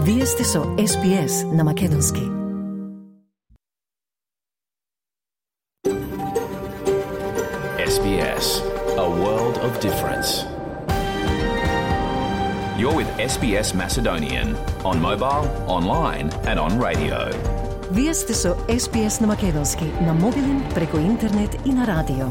Вие сте со SPS на Македонски. SBS, a world of difference. You're with SBS Macedonian on mobile, online and on radio. Вие сте со SPS на Македонски на мобилен, преку интернет и на радио.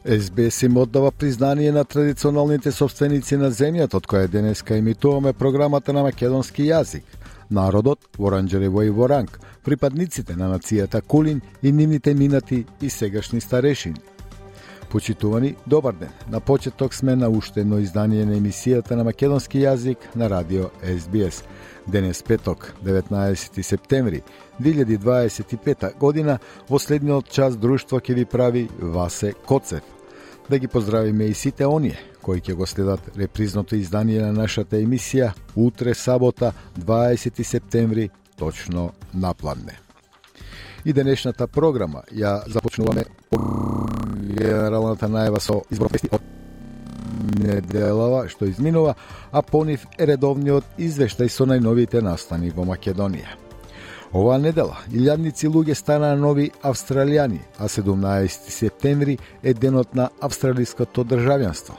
SBS им оддава признание на традиционалните собственици на земјата, од која денеска емитуваме програмата на македонски јазик. Народот, Воранџарево и Воранг, припадниците на нацијата Кулин и нивните минати и сегашни старешини. Почитувани, добар ден. На почеток сме на уште едно издание на емисијата на македонски јазик на радио SBS. Денес петок, 19 септември 2025 година, во следниот час друштво ќе ви прави Васе Коцев. Да ги поздравиме и сите оние кои ќе го следат репризното издание на нашата емисија утре сабота 20 септември точно напладне. И денешната програма ја започнуваме генералната најава со изборот од неделава што изминува, а по нив е редовниот извештај со најновите настани во Македонија. Оваа недела илјадници луѓе станаа нови австралијани, а 17 септември е денот на австралиското државјанство.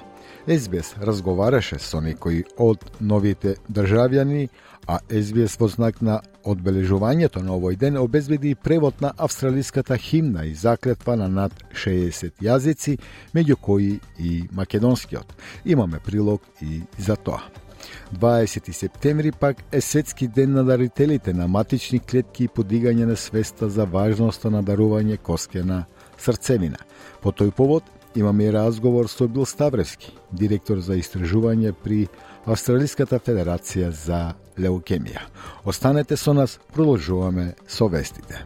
SBS разговараше со некои од новите државјани, а SBS во знак на одбележувањето на овој ден обезбеди превод на австралиската химна и заклетва на над 60 јазици, меѓу кои и македонскиот. Имаме прилог и за тоа. 20 септември пак е светски ден на дарителите на матични клетки и подигање на свеста за важноста на дарување коскена срцевина. По тој повод имаме и разговор со Бил Ставревски, директор за истражување при Австралиската федерација за леукемија. Останете со нас, продолжуваме со вестите.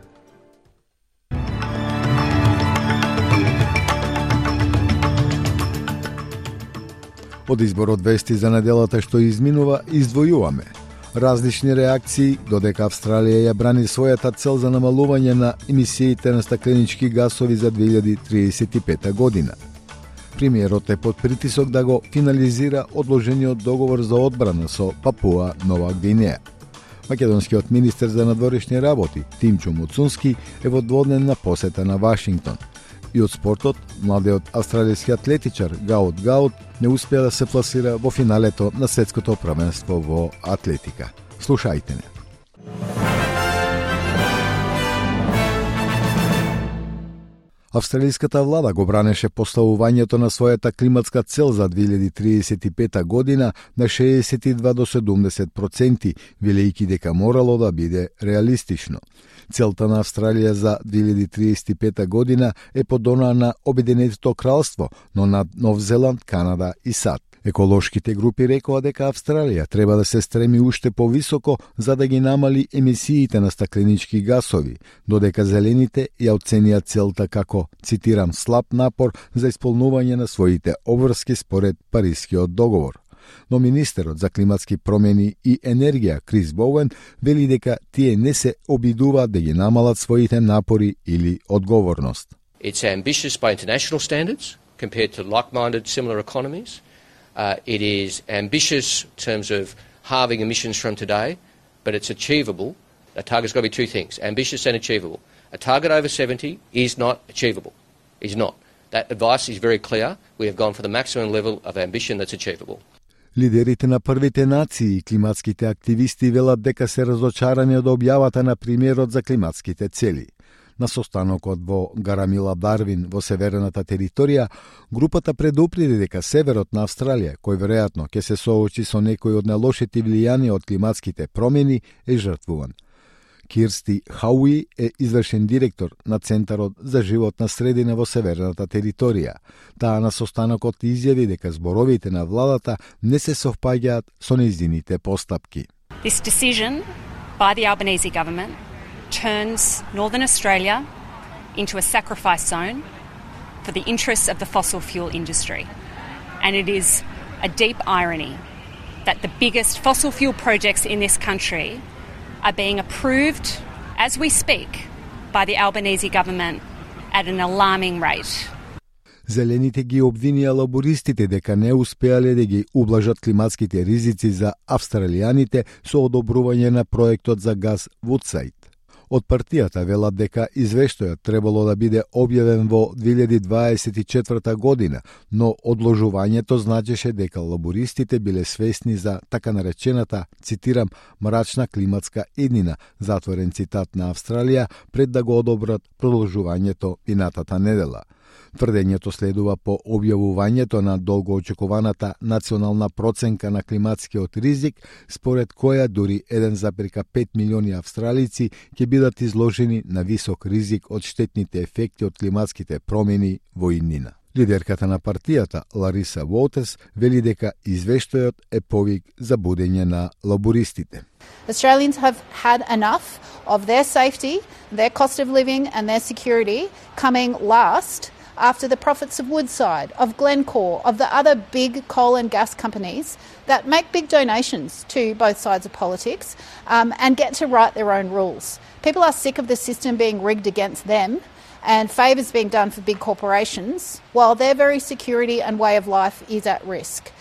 Од изборот вести за неделата што изминува, издвојуваме различни реакции, додека Австралија ја брани својата цел за намалување на емисиите на стакленички гасови за 2035 година. Премиерот е под притисок да го финализира одложениот договор за одбрана со Папуа Нова Гвинеја. Македонскиот министер за надворешни работи Тимчо Муцунски е во дводневна посета на Вашингтон. И од спортот, младиот австралијски атлетичар Гаут Гаут не успеа да се пласира во финалето на светското првенство во атлетика. Слушајте не. Австралиската влада го бранеше поставувањето на својата климатска цел за 2035 година на 62 до 70%, велејќи дека морало да биде реалистично. Целта на Австралија за 2035 година е под она на Обединетото кралство, но над Нов Зеланд, Канада и САД. Еколошките групи рекоа дека Австралија треба да се стреми уште повисоко за да ги намали емисиите на стакленички гасови, додека зелените ја оценија целта како, цитирам, слаб напор за исполнување на своите обврски според Парискиот договор. Но министерот за климатски промени и енергија Крис Боуен вели дека тие не се обидуваат да ги намалат своите напори или одговорност. It's ambitious by international standards compared to like-minded similar economies. It is ambitious in terms of halving emissions from today, but it's achievable. A target's got to be two things, ambitious and achievable. A target over 70 is not achievable. It's not. That advice is very clear. We have gone for the maximum level of ambition that's achievable. Лидерите на првите нации и климатските активисти велат дека се разочарани од објавата на премиерот за климатските цели. На состанокот во Гарамила Дарвин во северната територија, групата предупреди дека северот на Австралија, кој веројатно ќе се соочи со некои од најлошите влијанија од климатските промени, е жртвуван. Кирсти Хауи е извршен директор на Центарот за животна средина во северната територија. Таа на состанокот изјави дека зборовите на владата не се совпаѓаат со нејзините постапки. This decision by the Albanese government turns Northern Australia into a sacrifice zone for the interests of the fossil fuel industry. And it is a deep irony that the biggest fossil fuel projects in this country are being approved as we speak by the Albanese government at an alarming rate. Зелените ги обвинија лабористите дека не успеале да ги ублажат климатските ризици за австралијаните со одобрување на проектот за газ Вудсайд. Од партијата велат дека извештајот требало да биде објавен во 2024 година, но одложувањето значеше дека лабористите биле свесни за така наречената, цитирам, мрачна климатска иднина, затворен цитат на Австралија, пред да го одобрат продолжувањето минатата недела. Тврдењето следува по објавувањето на долгоочекуваната национална проценка на климатскиот ризик, според која дури 1,5 милиони австралици ќе бидат изложени на висок ризик од штетните ефекти од климатските промени во иднина. Лидерката на партијата, Лариса Уолтерс, вели дека извештајот е повик за будење на лабористите. Australians have had enough of their safety, their cost of living and their security coming last after the profits of Woodside, of Glencore, of the other big coal and gas companies that make big donations to both sides of politics and get to write their own rules. People are sick of the system being rigged against them and favours being done for big corporations, while their very security and way of life is at risk.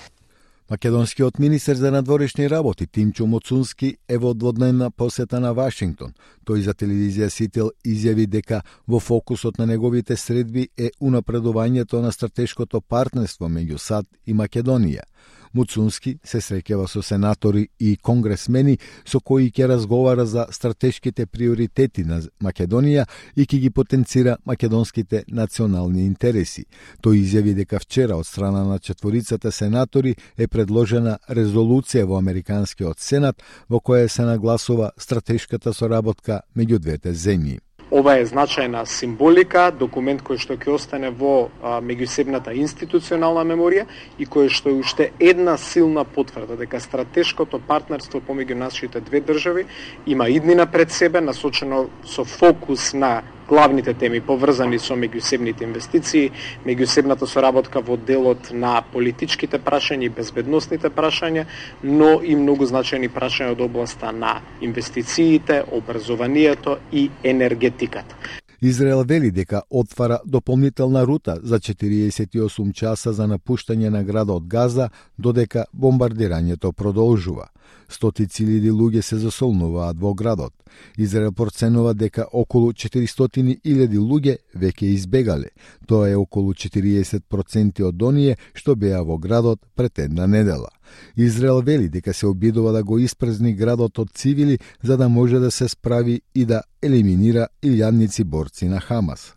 Македонскиот министер за надворешни работи Тимчо Моцунски е во дводневна посета на Вашингтон. Тој за телевизија Сител изјави дека во фокусот на неговите средби е унапредувањето на стратешкото партнерство меѓу САД и Македонија. Муцунски се среќава со сенатори и конгресмени со кои ќе разговара за стратешките приоритети на Македонија и ќе ги потенцира македонските национални интереси. Тој изјави дека вчера од страна на четворицата сенатори е предложена резолуција во Американскиот Сенат во која се нагласува стратешката соработка меѓу двете земји. Ова е значајна символика, документ кој што ќе остане во меѓусебната институционална меморија и кој што е уште една силна потврда дека стратешкото партнерство помеѓу нашите две држави има иднина пред себе, насочено со фокус на главните теми поврзани со меѓусебните инвестиции, меѓусебната соработка во делот на политичките прашања и безбедносните прашања, но и многу значајни прашања од областа на инвестициите, образованието и енергетиката. Израел вели дека отвара дополнителна рута за 48 часа за напуштање на градот Газа, додека бомбардирањето продолжува. Стотици илјади луѓе се засолнуваат во градот. Израел проценува дека околу 400.000 луѓе веќе избегале. Тоа е околу 40% од оние што беа во градот пред една недела. Израел вели дека се обидува да го испразни градот од цивили за да може да се справи и да елиминира илјадници борци на Хамас.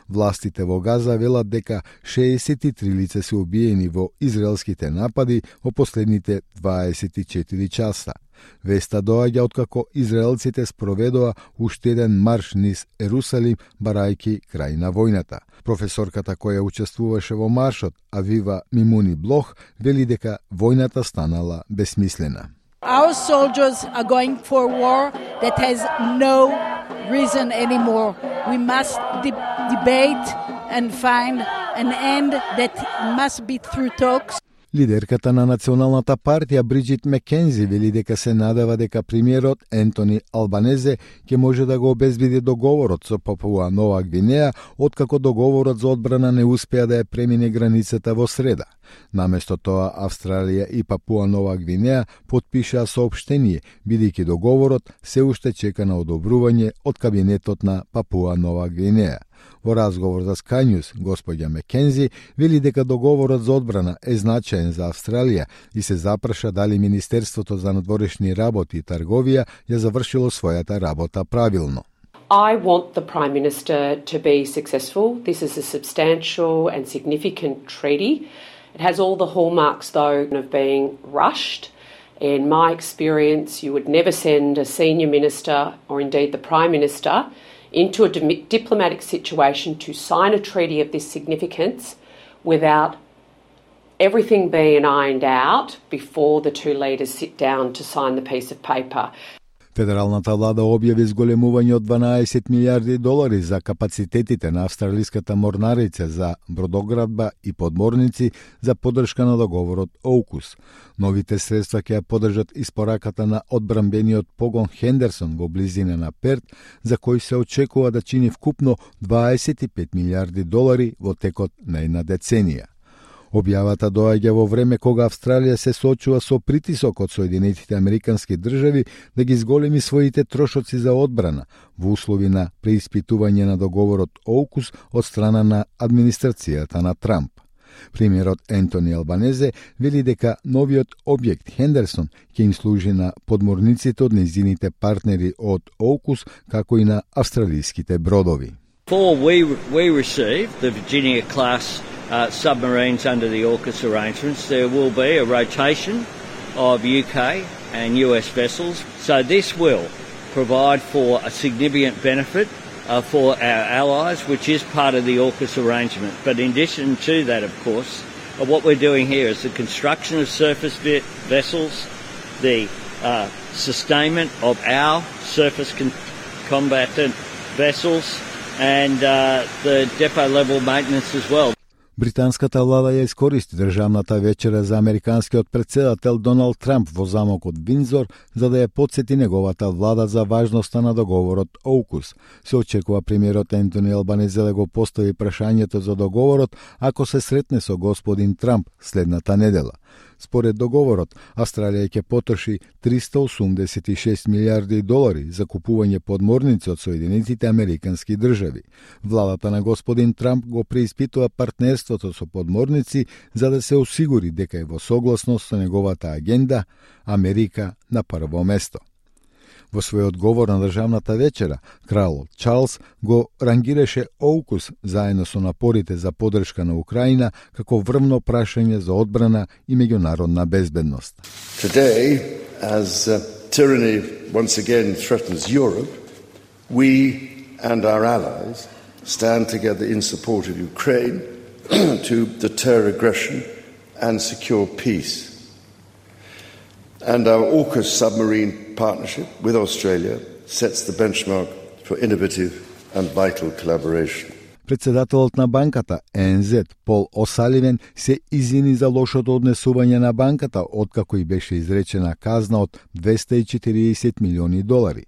Властите во Газа велат дека 63 лица се убиени во израелските напади во последните 24 часа. Веста доаѓа откако израелците спроведоа уште еден марш низ Ерусалим, барајки крај на војната. Професорката која учествуваше во маршот, Авива Мимуни Блох, вели дека војната станала безсмислена. Our soldiers are going for a war that has no reason anymore. We must debate and find an end that must be through talks. Лидерката на Националната партија Бриджит Мекензи вели дека се надева дека премиерот Ентони Албанезе ќе може да го обезбеди договорот со Папуа Нова Гвинеја, откако договорот за одбрана не успеа да ја премине границата во среда. Наместо тоа, Австралија и Папуа Нова Гвинеја потпишаа соопштение, бидејќи договорот се уште чека на одобрување од кабинетот на Папуа Нова Гвинеја. Во разговор за Sky News, господја Мекензи вели дека договорот за одбрана е значаен за Австралија и се запраша дали Министерството за надворешни работи и трговија ја завршило својата работа правилно. I want the Prime Minister to be successful. This is a substantial and significant treaty. It has all the hallmarks, though, of being rushed. In my experience, you would never send a senior minister, or indeed the Prime Minister, into a diplomatic situation to sign a treaty of this significance without everything being ironed out before the two leaders sit down to sign the piece of paper. Федералната влада објави зголемување од 12 милиарди долари за капацитетите на австралиската морнарица за бродоградба и подморници за поддршка на договорот AUKUS. Новите средства ќе ја поддржат испораката на одбранбениот погон Хендерсон во близина на Перт, за кој се очекува да чини вкупно 25 милиарди долари во текот на една деценија. Објавата доаѓа во време кога Австралија се соочува со притисок од Соединетите Американски држави да ги зголеми своите трошоци за одбрана во услови на преиспитување на договорот AUKUS од страна на администрацијата на Трамп. Премиерот Ентони Албанезе вели дека новиот објект Хендерсон ќе им служи на подморниците од нејзините партнери од AUKUS, како и на австралиските бродови. Before we receive the Virginia-class submarines under the AUKUS arrangements, there will be a rotation of UK and US vessels. So this will provide for a significant benefit for our allies, which is part of the AUKUS arrangement. But in addition to that, of course, what we're doing here is the construction of surface vessels, the sustainment of our surface combatant vessels, and the depot level maintenance as well. Британската влада ја искористи државната вечера за американскиот претседател Доналд Трамп во замокот Виндзор за да ја потсети неговата влада за важноста на договорот AUKUS. Се очекува премиерот Ентони Албанезе да го постави прашањето за договорот ако се сретне со господин Трамп следната недела. Според договорот, Австралија ќе потроши 386 милиарди долари за купување подморници од Соединетите Американски држави. Владата на господин Трамп го преиспитува партнерството со подморници за да се осигури дека е во согласност со неговата агенда Америка на прво место. Во својот говор на државната вечера, кралот Чарлс го рангираше AUKUS заедно со напорите за поддршка на Украина како врвно прашање за одбрана и меѓународна безбедност. Today, as tyranny once again threatens Europe, we and our allies stand together in support of Ukraine to deter aggression and secure peace. And our AUKUS submarine partnership with Australia sets the benchmark for innovative and vital collaboration. Председателот на банката ЕНЗ Пол Осаливен се извини за лошото однесување на банката откако и беше изречена казна од 240 милиони долари.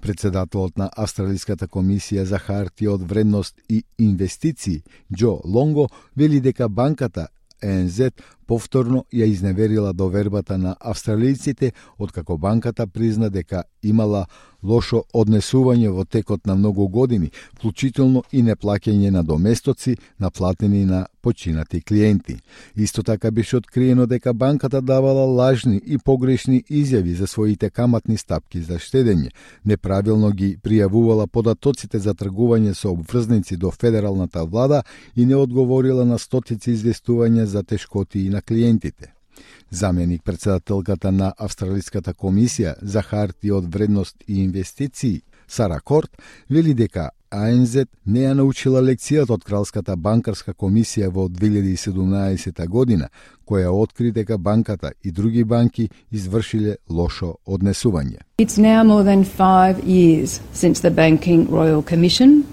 Председателот на Австралиската комисија за хартија од вредност и инвестиции Џо Лонго вели дека банката ЕНЗ повторно ја изневерила довербата на австралијците откако банката призна дека имала лошо однесување во текот на многу години, вклучително и неплаќање на доместоци наплатени на починати клиенти. Исто така беше откриено дека банката давала лажни и погрешни изјави за своите каматни стапки за штедење, неправилно ги пријавувала податоците за тргување со обврзници до федералната влада и не одговорила на стотици известувања за тешкоти на клиентите. Заменик председателката на Австралиската комисија за хартија од вредност и инвестиции Сара Корт вели дека АНЗ не ја научила лекцијата од Кралската банкарска комисија во 2017 година, која откри дека банката и други банки извршиле лошо однесување. It's now more than 5 years since the Banking Royal Commission,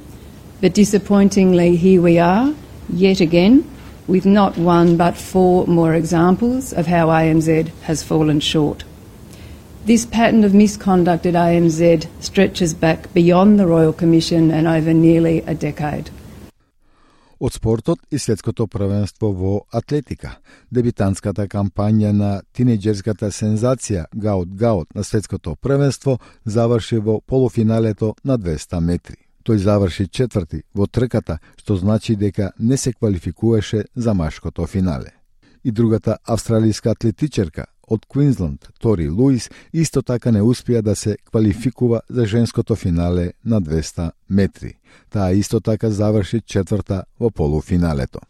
but disappointingly here we are, yet again, with not one but 4 more examples of how ANZ has fallen short. This pattern of misconduct at ANZ stretches back beyond the Royal Commission and over nearly a decade. Од спортот и светското првенство во атлетика. Дебитантската кампања на тинејџерската сензација Гаут на светското првенство заврши во полуфиналето на 200 метри. Тој заврши четврти во трката, што значи дека не се квалификуваше за машкото финале. И другата австралијска атлетичарка од Квинсленд, Тори Луис, исто така не успеа да се квалификува за женското финале на 200 метри. Таа исто така заврши четврта во полуфиналето.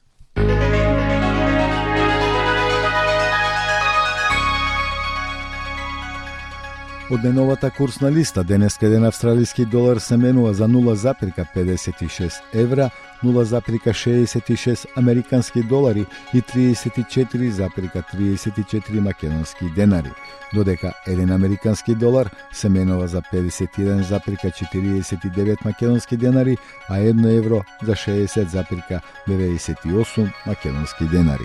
Од најновата курсна листа, денеска еден австралиски долар се менува за 0,56 евра, 0,66 американски долари и 34,34 македонски денари, додека еден американски долар се менува за 51,49 македонски денари, а 1 евро за 60,98 македонски денари.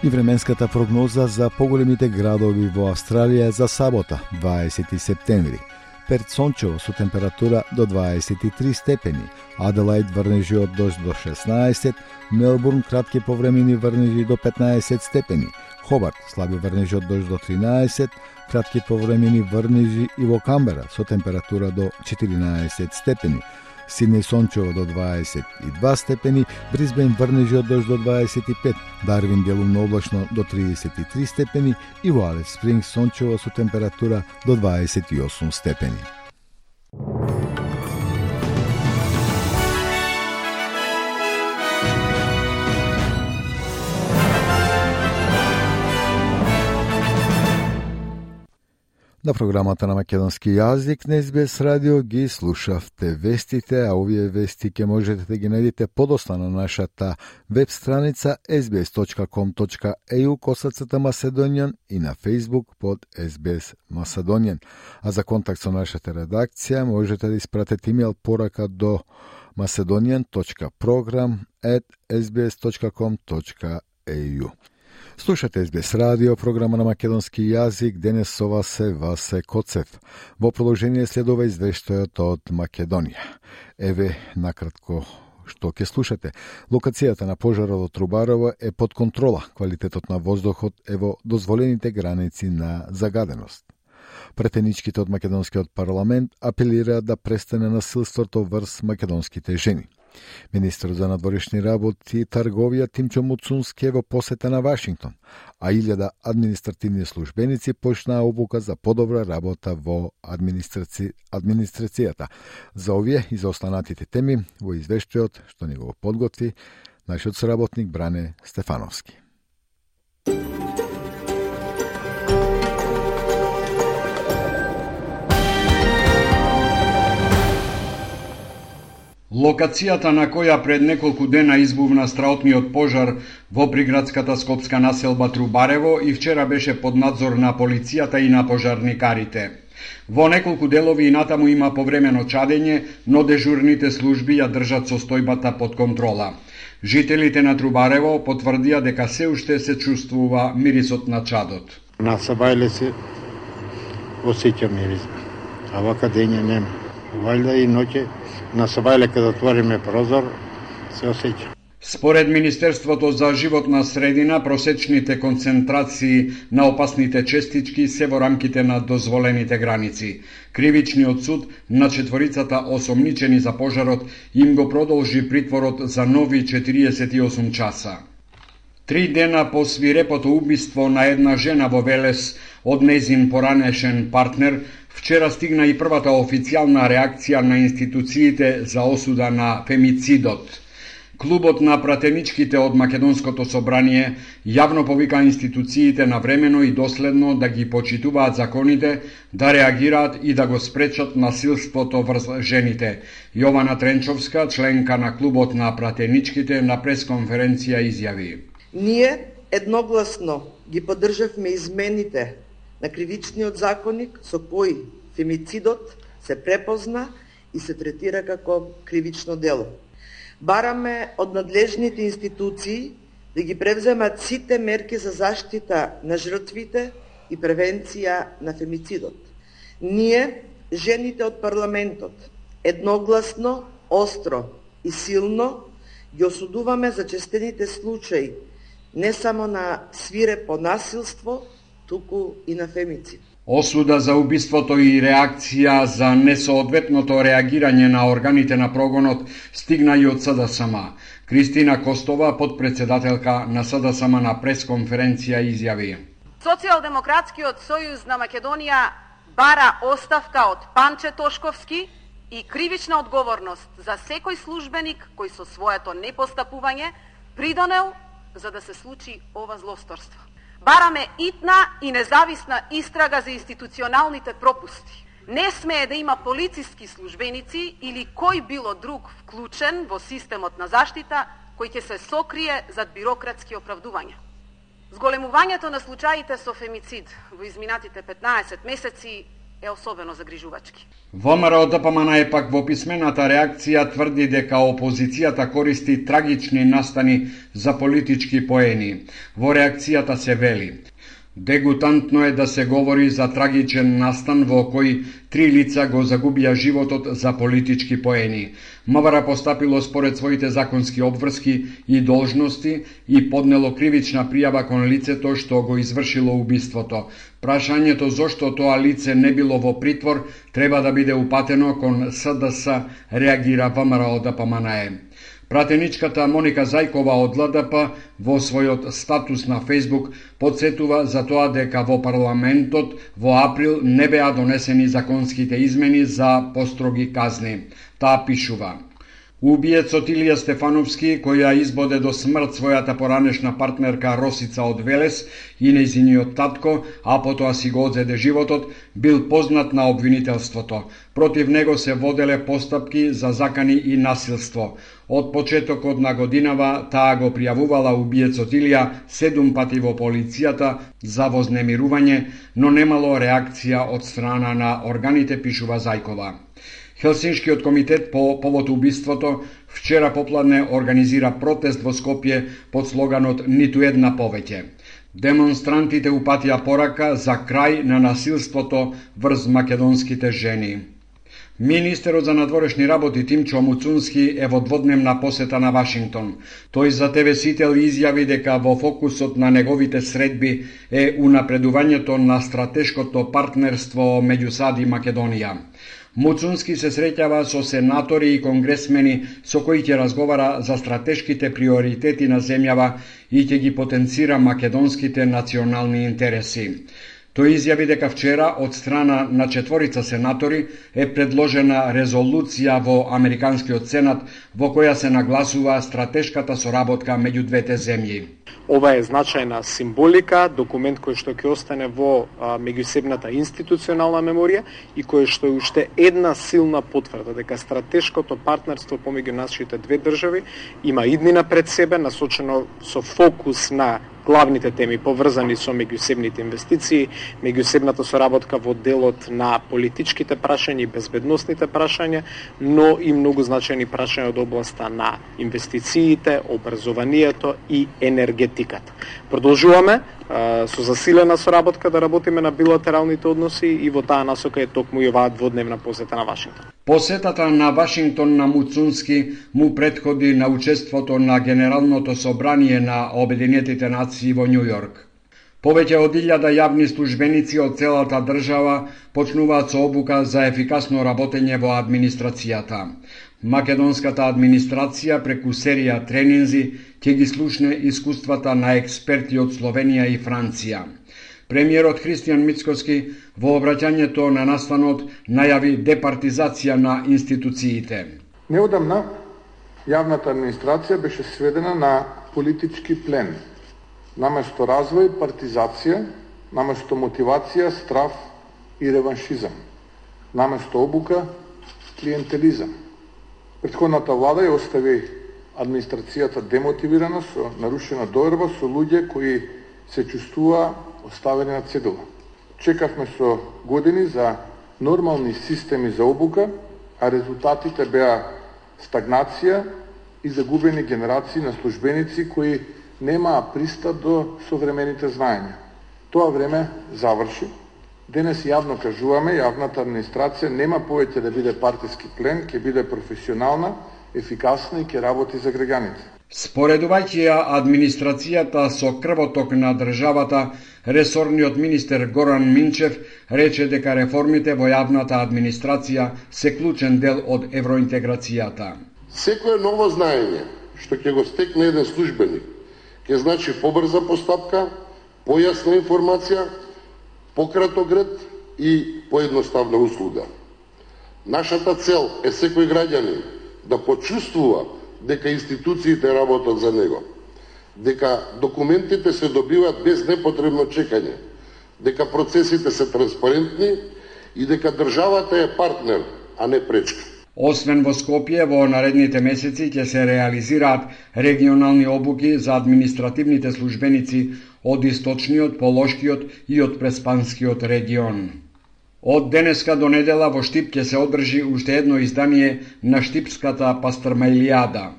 И временската прогноза за поголемите градови во Австралија за сабота, 20 септември. Перт сончево со температура до 23 степени, Аделаид врнежи од дожд до 16, Мелбурн кратки повремени врнежи до 15 степени, Хобарт слаби врнежи од дожд до 13, кратки повремени врнежи и во Камбера со температура до 14 степени, Сиднеј сончево до 22 степени, Брисбен врнежи од дожд до 25, Дарвин делумно облачно до 33 степени и во Алис Спрингс сончево со температура до 28 степени. На програмата на македонски јазик на SBS радио ги слушавте вестите, а овие вести ќе можете да ги најдете подоцна на нашата веб страница sbs.com.au/Macedonian и на Facebook под SBS Macedonian. А за контакт со нашата редакција можете да испратите имејл порака до macedonian.program@sbs.com.au. Слушате SBS радио, програма на македонски јазик, денес со вас е Васе Коцев. Во продолжение следува извештајот од Македонија. Еве, накратко, што ќе слушате. Локацијата на пожарот во Трубарево е под контрола. Квалитетот на воздухот е во дозволените граници на загаденост. Претеничките од македонскиот парламент апелираат да престане насилството врз македонските жени. Министрот за надворешни работи и трговија Тимчо Муцунски е во посета на Вашингтон, а 1000 административни службеници почнаа обука за подобра работа во администрацијата. За овие и за останатите теми во извештајот што ни го подготви нашиот соработник Бране Стефановски. Локацијата на која пред неколку дена избувна страотниот пожар во приградската скопска населба Трубарево и вчера беше под надзор на полицијата и на пожарникарите. Во неколку делови и натаму има повремено чадење, но дежурните служби ја држат состојбата под контрола. Жителите на Трубарево потврдија дека се уште се чувствува мирисот на чадот. На Сабајле се осеќа мирис, а вака дење нема. Валјда и ноќе на Сабајле кога отвориме прозор се осеќа. Според Министерството за животна средина, просечните концентрации на опасните честички се во рамките на дозволените граници. Кривичниот суд на четворицата осомничени за пожарот им го продолжи притворот за нови 48 часа. 3 дена по свирепото убиство на една жена во Велес од нејзин поранешен партнер, вчера стигна и првата официјална реакција на институциите за осуда на фемицидот. Клубот на пратеничките од Македонското собрание јавно повика институциите навремено и доследно да ги почитуваат законите, да реагираат и да го спречат насилството врз жените. Јована Тренчовска, членка на Клубот на пратеничките, на пресконференција изјави: Ние едногласно ги поддржавме измените на кривичниот законник со кој фемицидот се препозна и се третира како кривично дело. Бараме од надлежните институции да ги превземат сите мерки за заштита на жртвите и превенција на фемицидот. Ние, жените од парламентот, едногласно, остро и силно ги осудуваме зачестените случаи не само на свирепо насилство, туку и на фемицид. Осуда за убиството и реакција за несоодветното реагирање на органите на прогонот стигна и од СДСМ. Кристина Костова, подпредседателка на СДСМ, на пресконференција изјави: Социјалдемократскиот сојуз на Македонија бара оставка од Панче Тошковски и кривична одговорност за секој службеник кој со своето непостапување придонел за да се случи ова злосторство. Бараме итна и независна истрага за институционалните пропусти. Не смее да има полициски службеници или кој било друг вклучен во системот на заштита кој ќе се сокрие зад бирократски оправдувања. Зголемувањето на случаите со фемицид во изминатите 15 месеци е особено загрижувачки. ВМРО ДПМН пак во писмената реакција тврди дека опозицијата користи трагични настани за политички поени. Во реакцијата се вели: дегутантно е да се говори за трагичен настан во кој 3 лица го загубија животот за политички поени. МВР постапило според своите законски обврски и должности и поднело кривична пријава кон лицето што го извршило убиството. Прашањето зошто тоа лице не било во притвор треба да биде упатено кон СДС, реагира ВМРО ДПМН. Пратеничката Моника Зајкова од ЛДП во својот статус на Фејсбук подсетува за тоа дека во парламентот во април не беа донесени законските измени за построги казни. Таа пишува: убиецот Илија Стефановски, која избоде до смрт својата поранешна партнерка Росица од Велес и нејзиниот татко, а потоа си го одзеде животот, бил познат на обвинителството. Против него се воделе постапки за закани и насилство. Од почетокот на годинава таа го пријавувала убиецот Илија 7 пати во полицијата за вознемирување, но немало реакција од страна на органите, пишува Зајкова. Хелсиншкиот комитет по повод убиството вчера попладне организира протест во Скопје под слоганот "Ниту една повеќе". Демонстрантите упатија порака за крај на насилството врз македонските жени. Министерот за надворешни работи Тимчо Муцунски е во дводневна посета на Вашингтон. Тој за ТВ Сител изјави дека во фокусот на неговите средби е унапредувањето на стратешкото партнерство меѓу САД и Македонија. Муцунски се среќава со сенатори и конгресмени со кои ќе разговара за стратешките приоритети на земјава и ќе ги потенцира македонските национални интереси. Тој изјави дека вчера од страна на 4 сенатори е предложена резолуција во Американскиот Сенат во која се нагласува стратешката соработка меѓу двете земји. Ова е значајна символика, документ кој што ќе остане во меѓусебната институционална меморија и кој што е уште една силна потврда дека стратешкото партнерство помеѓу нашите две држави има иднина пред себе, насочено со фокус на главните теми поврзани со меѓусебните инвестиции, меѓусебната соработка во делот на политичките прашања и безбедносните прашања, но и многу значајни прашања од областа на инвестициите, образованието и енергетиката. Продолжуваме со засилена соработка да работиме на билатералните односи и во таа насока е токму и оваа дводневна посета на Вашингтон. Посетата на Вашингтон на Муцунски му претходи на учеството на Генералното собрание на Обединетите нации во Њу Јорк. Повеќе од 1000 јавни службеници од целата држава почнуваат со обука за ефикасно работење во администрацијата. Македонската администрација преку серија тренинзи ќе ги слушне искуствата на експерти од Словенија и Франција. Премиерот Христијан Мицкоски во обраќањето на настанот најави департизација на институциите. Неодамна јавната администрација беше сведена на политички плен. Наместо развој, партизација, наместо мотивација, страф и реваншизам. Наместо обука, клиентелизам. Претходната влада ја остави администрацијата демотивирана со нарушена доверба со луѓе кои се чувствуваа оставени на цедула. Чекавме со години за нормални системи за обука, а резултатите беа стагнација и загубени генерации на службеници кои немаа пристап до современите знаења. Тоа време заврши. Денес јавно кажуваме, јавната администрација нема повеќе да биде партиски плен, ќе биде професионална, ефикасна и ќе работи за граѓаните. Споредувајќи ја администрацијата со крвоток на државата, ресорниот министер Горан Минчев рече дека реформите во јавната администрација се клучен дел од евроинтеграцијата. Секое ново знаење што ќе го стекне еден службеник ќе значи побрза постапка, појасна информација, пократок ред и поедноставна услуга. Нашата цел е секој граѓанин да почувствува дека институциите работат за него. дека документите се добиваат без непотребно чекање, дека процесите се транспарентни и дека државата е партнер, а не пречка. Освен во Скопје, во наредните месеци ќе се реализираат регионални обуки за административните службеници од источниот, полошкиот и од преспанскиот регион. Од денеска до недела во Штип ќе се одржи уште едно издание на Штипската пастрмаилијада.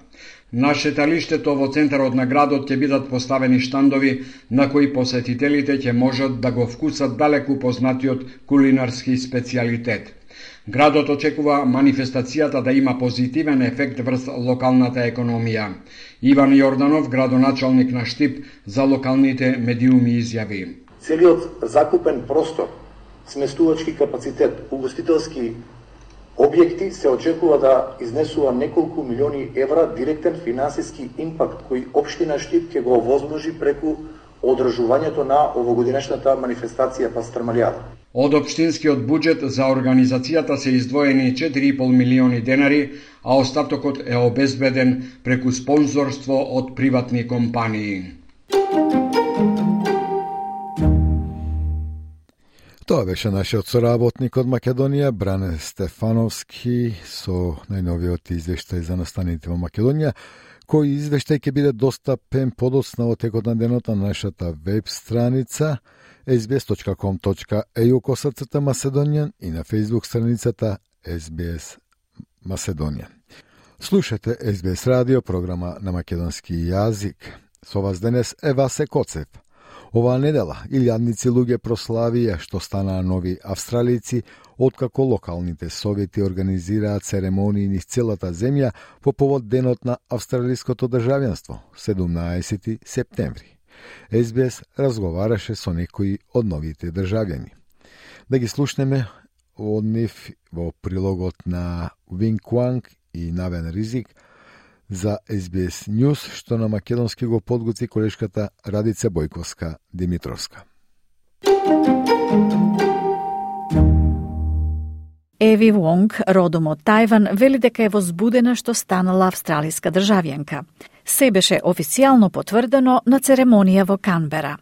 На шеталиштето во центарот на градот ќе бидат поставени штандови на кои посетителите ќе можат да го вкусат далеку познатиот кулинарски специјалитет. Градот очекува манифестацијата да има позитивен ефект врз локалната економија. Иван Јорданов, градоначалник на Штип, за локалните медиуми изјави. Целиот закупен простор, сместувачки капацитет, угостителски објекти се очекува да изнесува неколку милиони евра директен финансиски импакт кој општина Штип ќе го овозможи преку одржувањето на овогодинешната манифестација Пастрмалијада. Од општинскиот буџет за организацијата се издвоени 4,5 милиони денари, а остатокот е обезбеден преку спонзорство од приватни компании. Тоа беше нашиот соработник од Македонија, Бране Стефановски, со најновиот извештај за настаните во Македонија, кој извештај ќе биде достапен подоцна во текот на денот на нашата веб страница sbs.com.eu/Macedonian и на Facebook страницата SBS Macedonian. Слушате SBS радио, програма на македонски јазик. Со вас денес е Васе Коцев. Оваа недела илјадници луѓе прославија што станаа нови австралици, откако локалните совети организираат церемонии низ целата земја по повод денот на австралиското државјанство, 17 септември. SBS разговараше со некои од новите државјани. Да ги слушнеме од нив во прилогот на Винг Куанг и Навен Ризик за SBS News, што на македонски го подготви колешката Радица Бојковска-Димитровска. Еви Вонг, родом од Тајван, вели дека е возбудена што станала австралиска државјанка. Се беше официјално потврдено на церемонија во Канбера.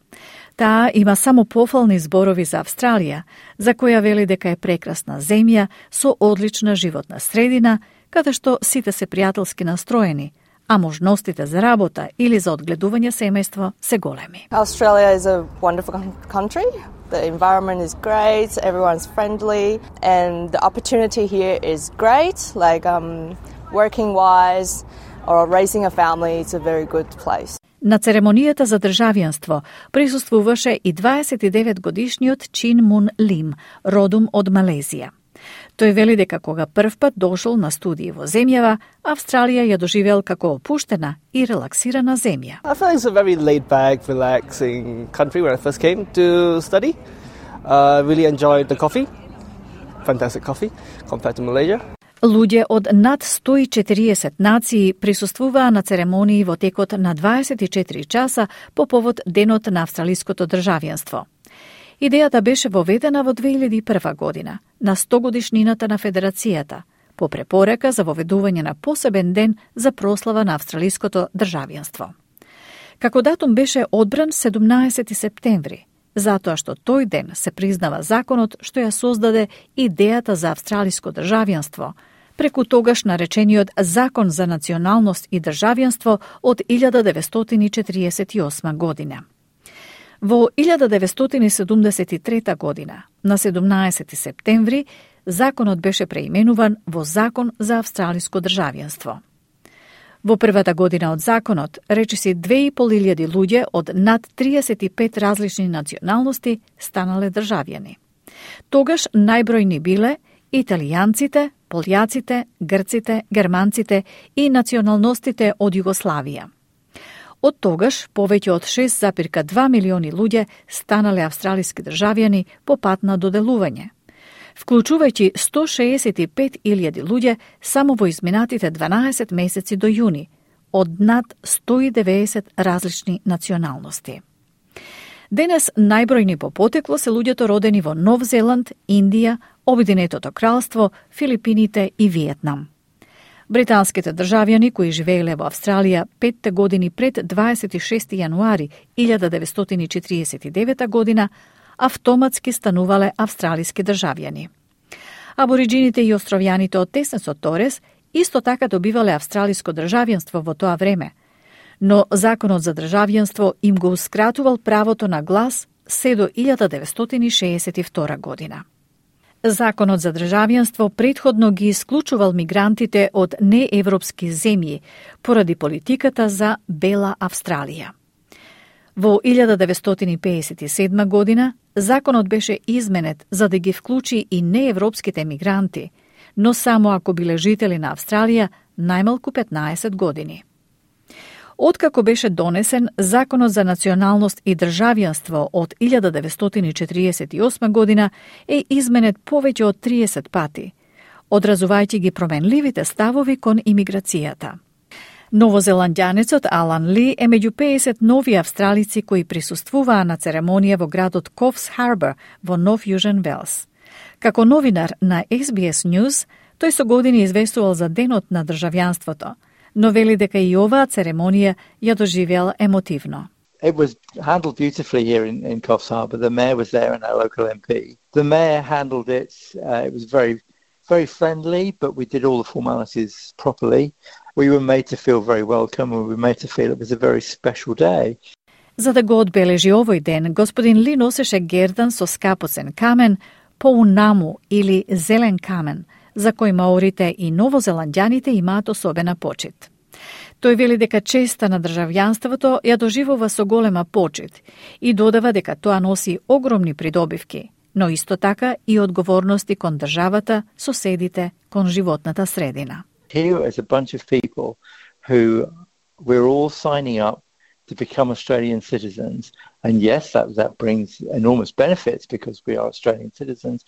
Таа има само пофални зборови за Австралија, за која вели дека е прекрасна земја со одлична животна средина, каде што сите се пријателски настроени, а можностите за работа или за одгледување семејство се големи. Australia is a wonderful country. The environment is great, everyone's friendly, and the opportunity here is great, like working-wise or raising a family, it's a very good place. На церемонијата за државјанство присуствуваше и 29-годишниот Чин Мун Лим, родом од Малезија. Тој вели дека кога првпат дошол на студии во земјава, Австралија ја доживел како опуштена и релаксирана земја. I feel it's a very laid-back, relaxing country when I first came to study. Really enjoyed the coffee. Fantastic coffee compared to Malaysia. Луѓе од над 140 нации присуствуваа на церемонии во текот на 24 часа по повод денот на австралиското државјанство. Идејата беше воведена во 2001 година, на 100 годишнината на Федерацијата, по препорека за воведување на посебен ден за прослава на австралиското државјанство. Како датум беше одбран 17 септември, затоа што тој ден се признава законот што ја создаде идејата за австралиско државјанство, преку тогаш наречениот Закон за националност и државјанство од 1948 година. Во 1973 година, на 17 септември, законот беше преименуван во Закон за австралиско државјанство. Во првата година од законот, речиси 2500 луѓе од над 35 различни националности станале државјани. Тогаш најбројни биле италијанците, полјаците, грците, германците и националностите од Југославија. Од тогаш, повеќе од 6,2 милиони луѓе станале австралиски државјани по пат на доделување, вклучувајќи 165.000 луѓе само во изминатите 12 месеци до јуни, од над 190 различни националности. Денес најбројни по потекло се луѓето родени во Нов Зеланд, Индија, Обединетото кралство, Филипините и Виетнам. Британските државјани кои живееле во Австралија 5 години пред 26. јануари 1949 година автоматски станувале австралиски државјани. Абориджините и островјаните од Теснесот Торес исто така добивале австралиско државјанство во тоа време, но законот за државјанство им гоускратувал правото на глас се до 1962 година. Законот за државјанство претходно ги исклучувал мигрантите од неевропски земји поради политиката за Бела Австралија. Во 1957 година законот беше изменет за да ги вклучи и неевропските мигранти, но само ако биле жители на Австралија најмалку 15 години. Откако беше донесен Законот за националност и државјанство од 1948 година е изменет повеќе од 30 пати, одразувајќи ги променливите ставови кон имиграцијата. Новозеландјанецот Алан Ли е меѓу 50 нови австралици кои присуствуваа на церемонија во градот Coffs Harbour во Нов Јужен Велс. Како новинар на SBS News, тој со години известувал за денот на државјанството, но вели дека и оваа церемонија ја доживеал емотивно. It was handled beautifully here in Coffs Harbour. The mayor was there and our local MP. The mayor handled it. It was very, very friendly, but we did all the formalities properly. We were made to feel very welcome and we were made to feel it was a very special day. За да го одбележи овој ден, господин Ли носеше гердан со скапоцен камен, поунаму или зелен камен, за кој маорите и новозеландјаните имаат особена почит. Тој вели дека честа на државјанството ја доживува со голема почит и додава дека тоа носи огромни придобивки, но исто така и одговорности кон државата, соседите, кон животната средина. Here is a bunch of people who we're all signing up to become Australian citizens, and yes, that brings enormous benefits because we are Australian citizens,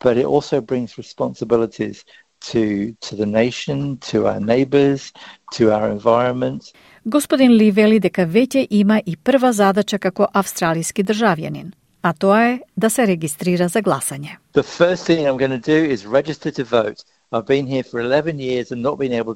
but it also brings responsibilities to the nation, to our neighbours, to our environment. Господин Ли вели дека веќе има и прва задача како австралиски државјанин, а тоа е да се регистрира за гласање. The first thing I'm going to do is register to vote. I've been here for 11 years and not been able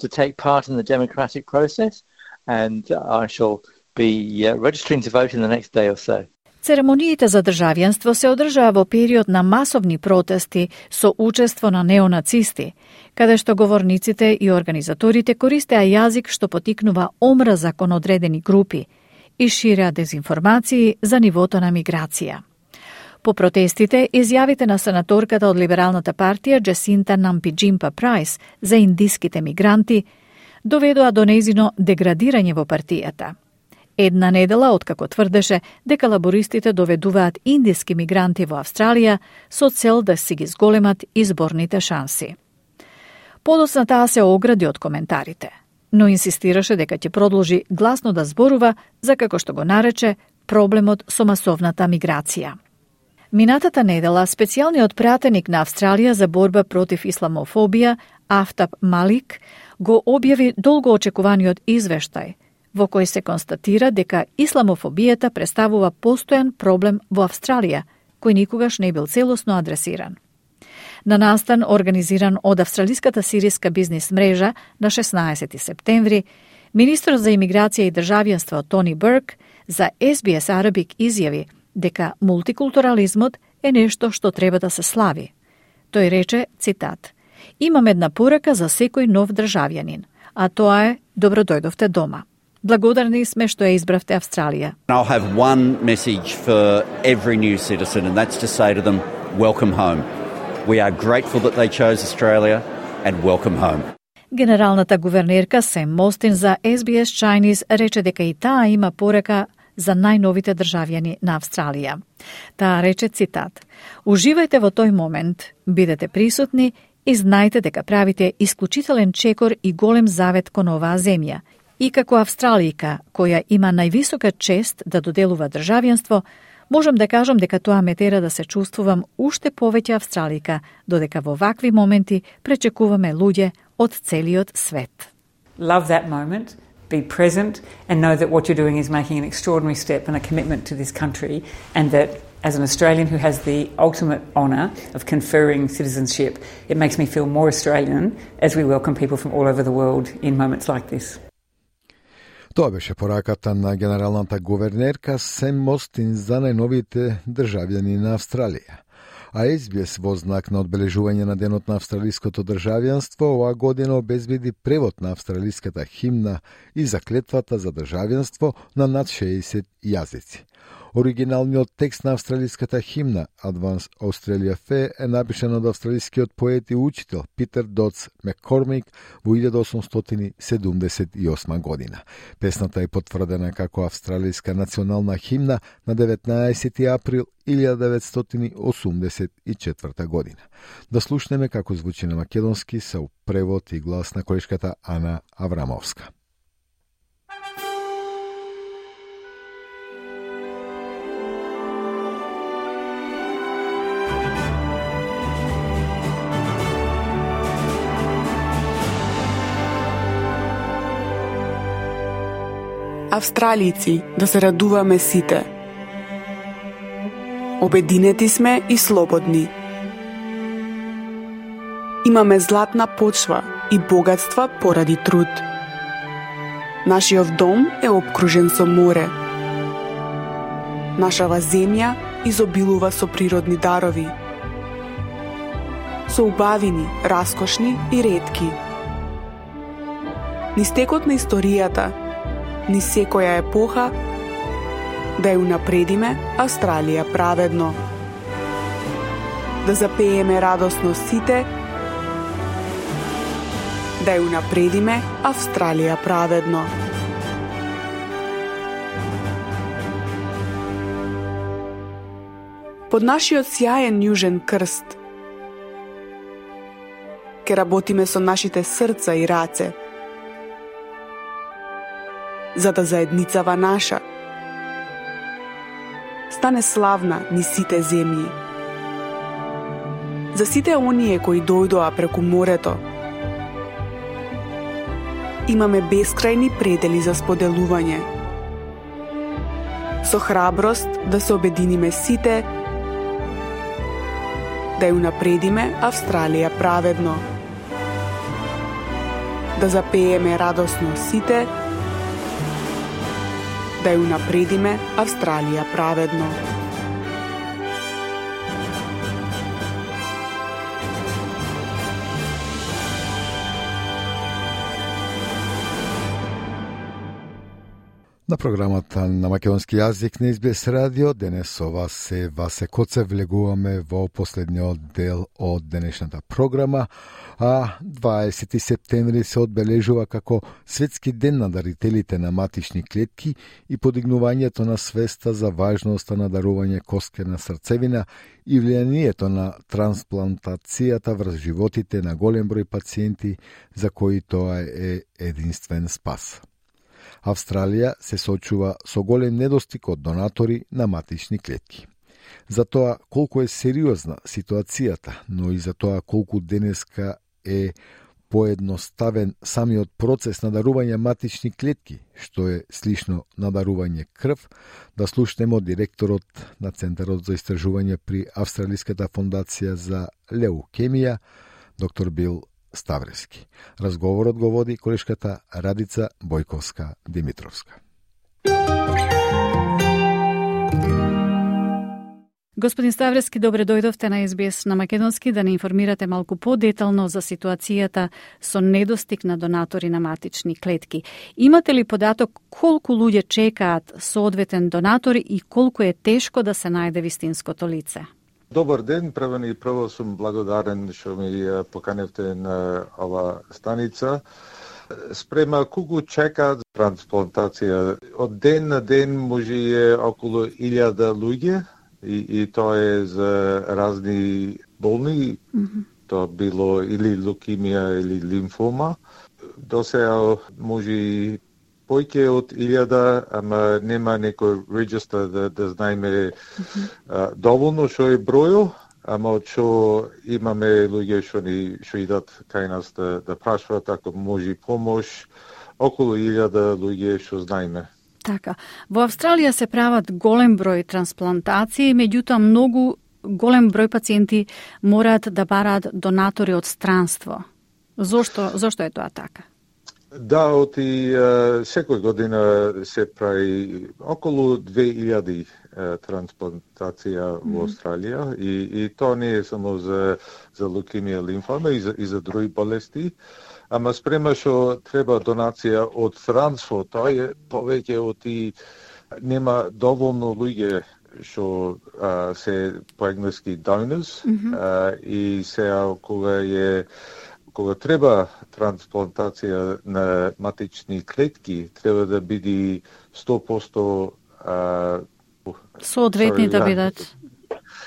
to take part in the democratic process, and I shall be registering to vote in the next day or so. Церемониите за државјанство се одржаа во период на масовни протести со учество на неонацисти, каде што говорниците и организаторите користеа јазик што потикнува омраза кон одредени групи и ширеа дезинформации за нивото на миграција. По протестите, изјавите на сенаторката од Либералната партија Джесинта Нампи-Джимпа Прайс за индиските мигранти доведоа до нејзино деградирање во партијата. Една недела откако тврдеше дека лабористите доведуваат индиски мигранти во Австралија со цел да си ги зголемат изборните шанси. Подоцна таа се огради од коментарите, но инсистираше дека ќе продолжи гласно да зборува за, како што го нарече, проблемот со масовната миграција. Минатата недела специјалниот пратеник на Австралија за борба против исламофобија Афтаб Малик го објави долгоочекуваниот извештај во кој се констатира дека исламофобијата представува постојан проблем во Австралија, кој никогаш не бил целосно адресиран. На настан организиран од Австралиската сириска бизнис мрежа на 16 септември, министрот за имиграција и државјанство Тони Бурк за SBS Arabic изјави дека мултикултурализмот е нешто што треба да се слави. Тој рече, цитат: "Имам една порака за секој нов државјанин, а тоа е добродојдовте дома. Благодарни сме што ја избравте Австралија." I'll have one message for every new citizen, and that's to say to them, welcome home. We are grateful that they chose Australia, and welcome home. Генералната гувернерка Сем Мостин за SBS Chinese рече дека и таа има порака за најновите државјани на Австралија. Таа рече, цитат: "Уживајте во тој момент, бидете присутни и знајте дека правите исклучителен чекор и голем завет кон оваа земја. И како австралијка, која има највисока чест да доделува државјанство, можам да кажам дека тоа ме тера да се чувствувам уште повеќе австралијка, додека во вакви моменти пречекуваме луѓе од целиот свет." Love that moment, be present and know that what you're doing is making an extraordinary step and a commitment to this country, and that As an Australian who has the ultimate honour of conferring citizenship, it makes me feel more Australian as we welcome people from all over the world in moments like this. Тоа беше пораката на генералната гувернерка Сем Мостин за најновите државјани на Австралија. А СБС во знак на одбележување на денот на австралиското државјанство оваа година обезбеди превод на австралиската химна и заклетвата за државјанство на над 60 јазици. Оригиналниот текст на австралиската химна Advance Australia Fair е напишан од австралискиот поет и учител Питер Доц Маккормик во 1878 година. Песната е потврдена како австралиска национална химна на 19 април 1984 година. Да слушнеме како звучи на македонски со превод и глас на колешката Ана Аврамовска. Австралици, да се радуваме сите. Обединети сме и слободни. Имаме златна почва и богатства поради труд. Нашиот дом е обкружен со море. Нашава земја изобилува со природни дарови. Со убавини, раскошни и ретки. Низ текот на историјата, ни секоја епоха, да ја унапредиме Австралија праведно. Да запееме радосно сите, да ја унапредиме Австралија праведно. Под нашиот сјаен јужен крст ке работиме со нашите срца и раце, за да заедницава наша стане славна низ сите земји. За сите оние кои дојдоа преку морето, имаме бескрајни предели за споделување. Со храброст да се обединиме сите, да ја унапредиме Австралија праведно. Да запееме радосно сите, да ја унапредиме Австралија праведно. На програмата на македонски јазик на СБС радио денес со вас се Васе Коцев, влегуваме во последниот дел од денешната програма, а 20 септември се одбележува како Светски ден на дарителите на матични клетки и подигнувањето на свеста за важноста на дарување косткена срцевина и влијанието на трансплантацијата врз животите на голем број пациенти за кои тоа е единствен спас. Австралија се соочува со голем недостиг од донатори на матични клетки. За тоа колку е сериозна ситуацијата, но и за тоа колку денеска е поедноставен самиот процес на дарување матични клетки, што е слично на дарување крв, да слушнеме од директорот на Центарот за истражување при Австралиската фондација за леукемија, доктор Бил Ставрески. Разговорот го води колешката Радица Бојковска-Димитровска. Господин Ставрески, добре дојдовте на СБС на македонски да не информирате малку подетално за ситуацијата со недостиг на донатори на матични клетки. Имате ли податок колку луѓе чекаат соодветен донатор и колку е тешко да се најде вистинското лице? Добар ден, прво сум благодарен што ми поканевте на ова станица. Спрема колку чекаат трансплантација. Од ден на ден може е околу 1000 луѓе и тоа е за разни болни, тоа било или лукемија или лимфома. До сега може појќе од 1000, ама нема некој регистр да знаеме доволно што е бројот, ама од што имаме луѓе што идат кај нас да прашуват ако може помош, околу 1000 луѓе што знаеме. Така. Во Австралија се прават голем број трансплантации, меѓутоа многу голем број пациенти мораат да бараат донатори од странство. Зошто е тоа така? Да, секој година се прави околу 2000 трансплантација во Австралија и тоа не е само за лукемија, лимфома и за други болести, ама спрема што треба донација од странство, тоа е повеќе нема доволно луѓе што се по енглески donors и сега кога треба трансплантација на матични клетки, треба да биде 100% соодветни да бидат.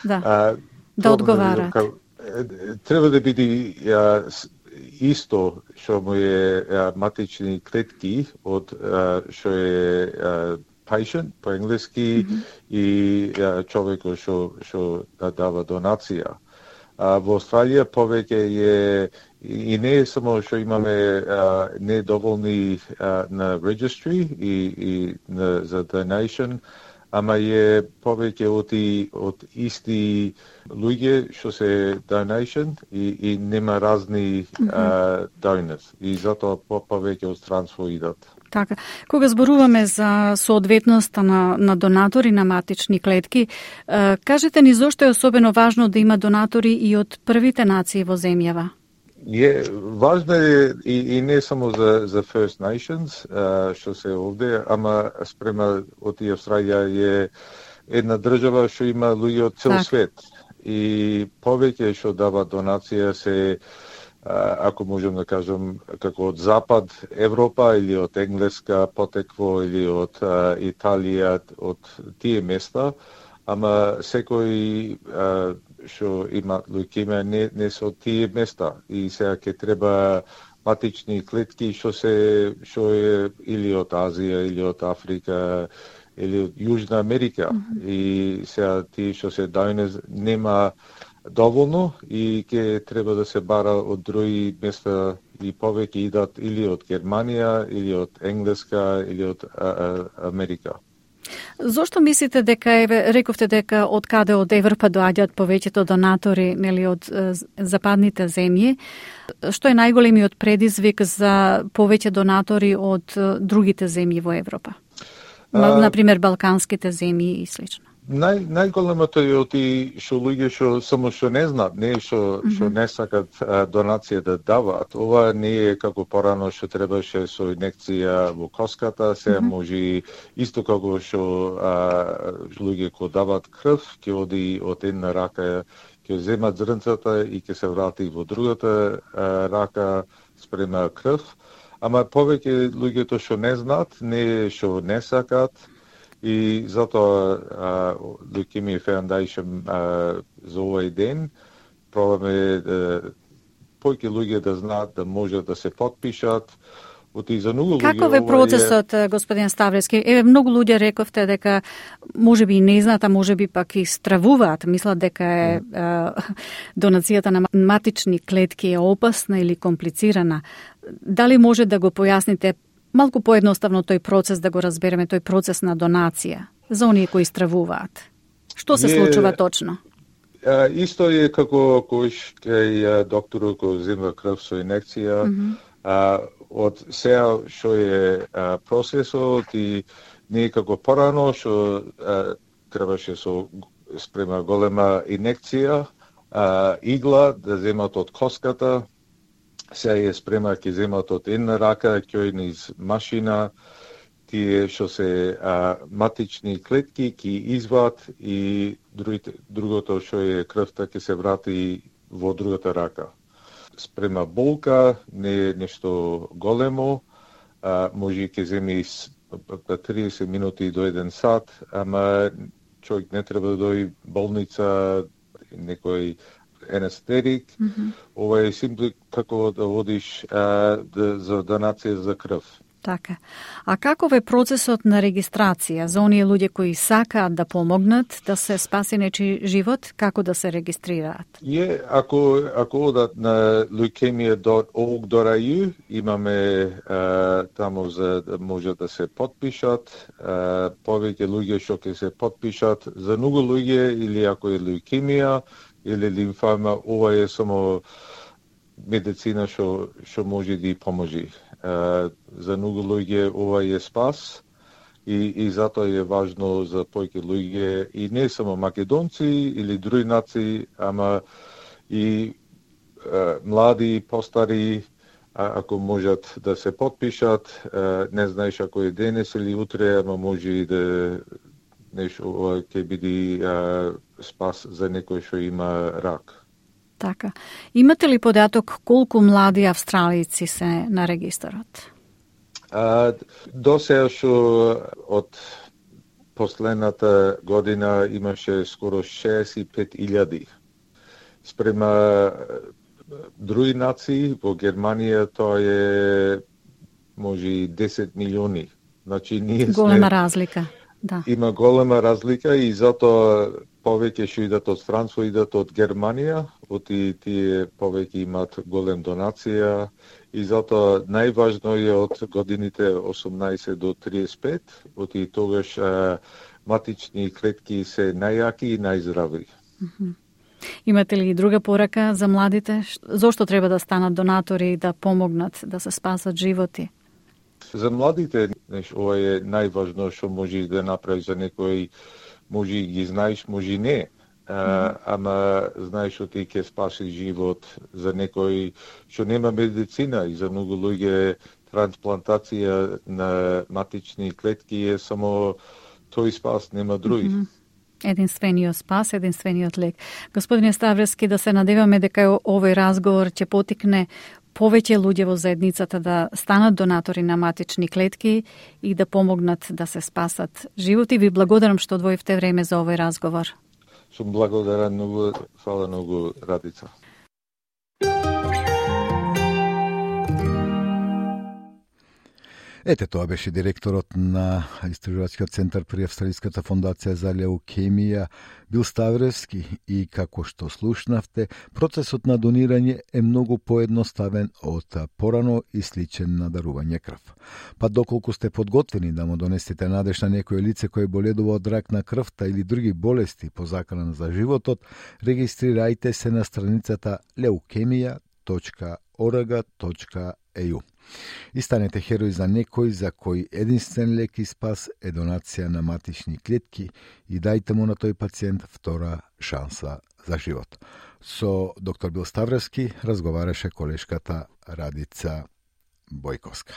Да одговарат. Треба да биде исто што му е матични клетки од што е patient по енглески и човекот што дава донација. Во Австралија повеќе е и не е само што имаме недоволни на registry и за donation, ама е повеќе од исти луѓе што се donation и нема разни donors и затоа повеќе од странство идат. Така, кога зборуваме за соодветноста на донатори на матични клетки, кажете ни зошто е особено важно да има донатори и од првите нации во земјава? Важно е и не само за First Nations, што се овде, ама спрема од Австралија е една држава што има луѓе од цел свет. И повеќе што дава донација се, ако можем да кажем, како од Запад Европа или од Енглеска потекло или од Италија, од тие места, ама секој што има лукемија не се од тие места и сега ќе треба матични клетки што е или од Азија или од Африка или од Јужна Америка и сега тие што се donors нема доволно и ќе треба да се бара од други места и повеќе идат или од Германија или од Енглеска или од Америка. Зошто мислите дека рековте дека од каде од Европа доаѓаат повеќето донатори, нели од западните земји? Што е најголемиот предизвик за повеќе донатори од другите земји во Европа? Например, балканските земји и слично. Најголемото е што луѓе што не знаат, не што не сакат донација да даваат. Ова не е како порано што требаше со инекција во коската, се може исто како што луѓе кои даваат крв, ќе оди од една рака, ќе земат зрнцата и ќе се врати во другата рака спрема крв. Ама повеќе луѓето што не знаат, не што не сакат, и затоа Leukemia Foundation за овој ден пробаме повеќе луѓе да знаат да можат да се потпишат. Каков е процесот, господин Ставлевски? Многу луѓе рековте дека можеби и не знаат, а можеби пак и стравуваат, мислат дека е донацијата на матични клетки е опасна или комплицирана. Дали може да го појасните малку поедноставно тој процес, да го разбереме, тој процес на донација за оние кои стравуваат? Што се случува точно? Исто е како кај докторот кој зема крв со инекција. Од сега што е процесот и не е како порано што требаше со спрема голема инекција, игла да земат од коската. Сега е спрема ќе земат од една рака, ќе низ машина, тие што се матични клетки ќе изват и другото што е крвта ќе се врати во другата рака. Спрема болка, не е нешто големо, може ќе земи 30 минути до 1 сат, ама човек не треба да дојде болница, некој анестетик. Ова е симпли како да водиш за донација за крв. Така. А каков е процесот на регистрација за оние луѓе кои сакаат да помогнат да се спаси нечи живот, како да се регистрираат? Ако одат на leukemia.org.au, имаме таму за да може да се потпишат, повеќе луѓе што ќе се потпишат. За многу луѓе, или ако е леукемија или лимфома, ова е само медицина што може да поможи. За многу луѓе ова е спас и затоа е важно за повеќе луѓе, и не само македонци или други нации, ама и млади, постари, ако можат да се потпишат. Не знаеш ако е денес или утре, ама може и да нешто ќе биде спас за некој што има рак. Така. Имате ли податок колку млади австралици се на регистарот? До сега што од последната година имаше скоро 65,000. Спрема други нации, во Германија тоа е може и 10 милиони. Значи ние голема разлика. Да. Има голема разлика и затоа повеќе што идат од странство, идат од Германија, тие повеќе имаат голем донација, и затоа најважно е од годините 18 до 35, тогаш матични клетки се најјаки и најздрави. Имате ли друга порака за младите? Зошто треба да станат донатори и да помогнат да се спасат животи? За младите, ова е најважно што можеш да направиш за некој. Може ги знаеш, може не. Ама знаеш што ти ќе спаси живот. За некој што нема медицина, и за многу луѓе трансплантација на матични клетки е само тој спас, нема други. Единствениот спас, единствениот лек. Господине Ставрески, да се надеваме дека овој разговор ќе потикне повеќе луѓе во заедницата да станат донатори на матични клетки и да помогнат да се спасат животи. Ви благодарам што одвоивте време за овој разговор. Сум благодарен многу, фала многу, Радица. Ете, тоа беше директорот на Истражувачкиот центар при Австралиската фондација за леукемија Бил Ставревски, и како што слушнавте, процесот на донирање е многу поедноставен од порано и сличен на дарување крв. Па доколку сте подготвени да му донесете надеж на некој лице кој боледува од рак на крвта или други болести по закана за животот, регистрирајте се на страницата leukemia.org.au. И станете херој за некој за кој единствен лек и спас е донација на матични клетки, и дајте му на тој пациент втора шанса за живот. Со доктор Бил Ставревски разговараше колешката Радица Бојковска.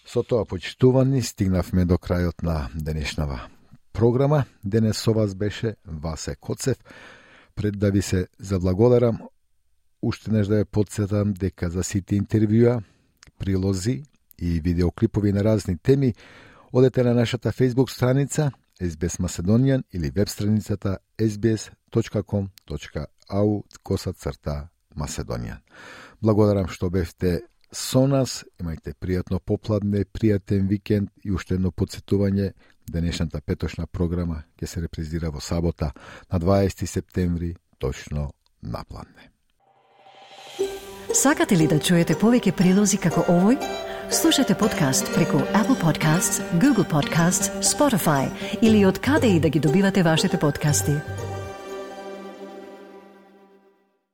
Со тоа, почитувани, стигнавме до крајот на денешнава програма. Денес со вас беше Васе Коцев. Пред да ви се заблагодарам, уште неш да ја подсетам дека за сите интервјуа, прилози и видеоклипови на разни теми, одете на нашата Facebook страница SBS Macedonian или веб страницата sbs.com.au/Macedonian. Благодарам што бевте со нас, имајте пријатно попладне, пријатен викенд, и уште едно подсетување, денешната петошна програма ќе се репризира во сабота на 20 септември точно на пладне. Сакате ли да чуете повеќе прилози како овој? Слушате подкаст преку Apple Podcasts, Google Podcasts, Spotify или од каде и да ги добивате вашите подкасти.